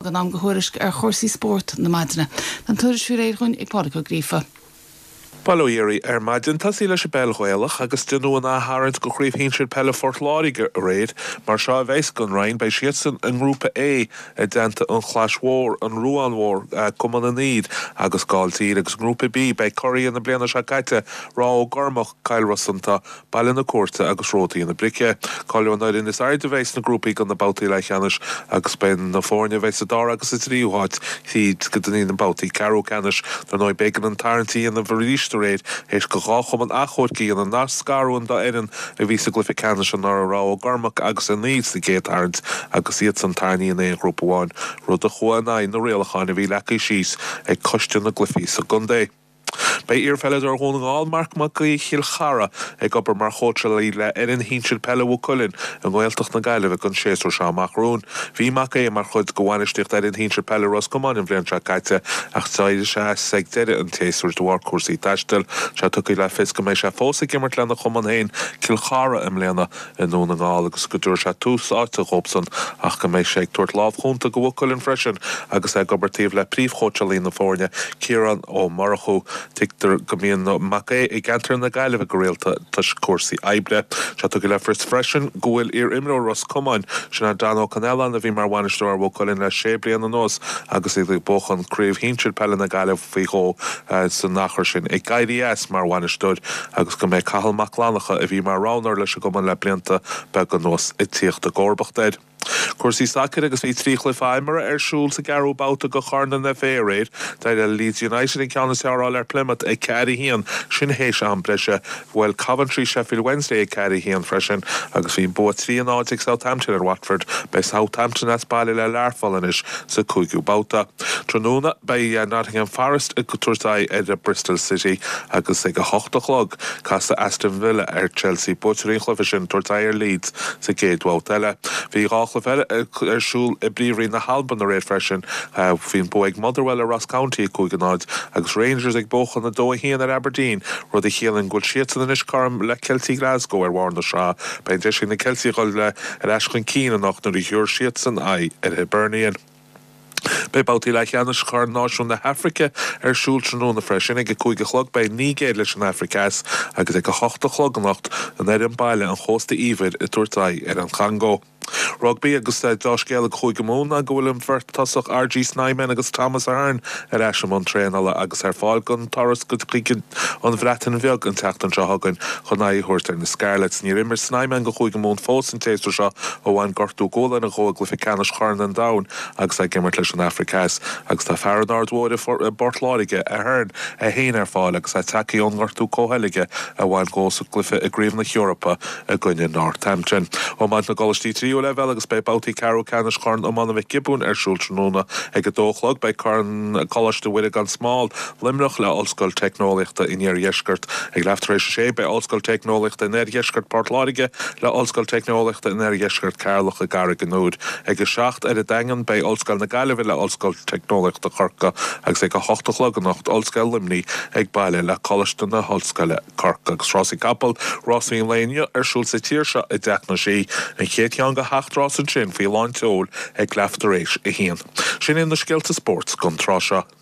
In am do thuairisc ar chúrsaí spóirt na maidine. Tá an tuairisc faoi réir dhúinn ag Pádraig Ó Gríofa. Bail ó Dhia oraibh ar maidin. Tosaí leis an bpeil Ghaelach agus déanadh an ath-tharraingt do Chraobh Shinsir Peile Phort Láirge aréir. Mar seo a bheas don Rinn, beidh siadsan i nGrúpa A i dteannta An Chlais Mhór, An Ruán Mhór, Cumann an Fhír agus Gailltír agus i nGrúpa B beidh curaidh na bliana seo caite, Ráth Ó gCormaic, Cill Rosanta, Baile na Cúirte agus Ródaí na Brice. Cáileoidh an fhoireann is airde a bheidh sna grúpaí do na babhtaí leathcheannais agus beidh na foirne a bheidh sa dara agus sa tríú háit tríd go dtí na babhtaí ceathrú ceannais. Dar ndóigh, b'éigean an tarraingt a dhéanamh arís aréir théis do dhá chumann achomhairc a dhéanamh nár scaradh an dá fhoireann a bhí sa gcluiche ceannais anuraidh, Ráth Ó gCormaic agus An Fhaoil, sa gcéad tarraingt agus iadsan tarraingthe in aon ghrúpa amháin, rud a chuaigh in aghaidh na rialacháin a bhí leagtha síos ag coiste na gcluichí sa gcontae. Beidh iarpheileadóir Dhún na nGall, Marc Mac Aoidh Chill Chartha, ag obair mar chóitseálaí le fhoireann shinsir peile Mhaigh Cuilinn i nGaeltacht na Gaillimhe don séasúr seo amach romhainn. Bhí Mac Aodha mar chuid de bhainistíocht fhoireann shinsir peile Ros Comáin an bhliain seo caite ach d'éirigh sé as ag deireadh an tséasúir de bharr cúrsaí taistil. Tá sé tugtha le fios go mbeidh sé fós ag imirt lena chumann féin, Cill Chartha, i mbliana. i nDún na nGall agus go dtabharfaidh sé tús áite dhóibhsan ach go mbeidh sé ag tabhairt lámh chúnta do Mhaigh Cuilinn freisin agus é ag obair taobh le príomhchóitseálaí na foirne, Ciarán Ó Murchú. Tuigtear go mbíonn Mac Aodha i gceantar na Gaillimhe go rialta toisc cúrsaí oibre. Tá sé tugtha le fios freisin go bhfuil iar-imreoir Ros Comáin, sin é Dan Ó Conellan a bhí mar bhainisteoir ar Mhaigh Cuilinn le sé bliana anuas agus iad ag buachan Craobh Shinsir Peile na Gaillimhe faoi dhó san achar sin, ag éirí as mar bhainisteoir agus go mbeidh Cathal Mac Fhlannchadha, a bhí mar roghnóir leis an gcumann le blianta beaga anuas, ag tíocht i gcomharbacht air. Cúrsaí sacair agus bhí 3 chluiche imeartha ar siúl sa gceathrú babhta de Chorn an FA aréir. D'éirigh le Leeds United an ceann is fearr a fháil ar Plymouth, 4-1, sin théis am breise. Bhuail Coventry Sheffield Wednesday 4-1 freisin agus bhí an bua 3-0 ag Southampton ar Watford. Beidh Southampton as baile le Learpholl anois sa cúigiú babhta. Tráthnóna, beidh Nottingham Forest ag tabhairt aghaidh ar Bristol City agus ag 8 a chlog, casfaidh Aston Villa ar Chelsea, buaiteoirí an chluiche sin ag tabhairt aghaidh ar Leeds sa gcéad bhabhta eile. Bhí 2 chluiche eile ar siúl i bPríomhroinn na hAlban aréir freisin. Bhí an bua ag Motherwell ar Ross County, 5-0, agus Rangers ag buachan 2-1 ar Aberdeen, rud a chiallaíonn go bhfuil siadsan anois cothrom le Ceiltigh Glasgow ar bharr na sraithe. Beidh an deis ag na Ceiltigh a dhul ar ais chun cinn anocht nuair a thiúrfaidh siadsan aghaidh ar Hibernian. Beidh babhtaí leathcheannais Chorn Náisiún na hAfraice ar siúl tráthnóna freisin. Ag 5 a chlog beidh an Nigéir leis an Afraic Theas agus ag 8 a chlog anocht an fhoireann baile, an Chósta Íobair, ag tabhairt aghaidh ar an Chongó. Rugbaí agus deá-scéala do Chúige Mumhan ná go bhfuil an bheirt tosach RG Snyman agus Thomas Ahern ar ais i mbun traenála agus ar fáil don turas go chuig an Bhreatain Bheag an tseachtain seo chugainn chun aghaidh a thabhairt ar na Scarlets. Níor imir Snyman do Chúige Mumhan fós an tséasúr seo ó bhain gortú gualainne dhó i gcluiche ceannais Chorn an Domhain agus é ag imirt leis an Afraic Theas agus tá fear an Aird Mhóir i bPort Láirge, Ahern, é féin ar fáil agus é tagtha ón ngortú comhsheilge a bhain dhó sa gcluiche i gCraobh na hEorpa i gcoinne Northampton. Iomáint na gcoláistí tríú leibhéal agus beidh babhtaí ceathrú ceannais Chorn Iomána Mhic Giobúin ar siúl tráthnóna. Ag a dó a chlog beidh Corn Coláiste Mhuire gan Smál, Luimneach le Ollscoil Teicneolaíochta an Iardheiscirt. Ag leath tar éis a sé beidh Ollscoil Teicneolaíochta an Oirdheiscirt Port Láirge le Ollscoil Teicneolaíochta an Oirdheiscirt Ceatharlach i gCarraig an Iúir. Ag a 7 ar an Daingean beidh Ollscoil na Gaillimhe le Ollscoil Teicneolaíochta Chorcaí agus ag a hocht a chlog anocht Ollscoil Luimnigh ag baile le Coláiste na hOllscoile Corcaigh. Agus rásaí capall, rásaí an lae inniu ar siúl sa tír seo i dTeach na Sí, an chéad cheann de sheacht rás ansin faoi lán tseoil ag leath tar éis a haon. Sin iad na scéalta spóirt don tráth seo.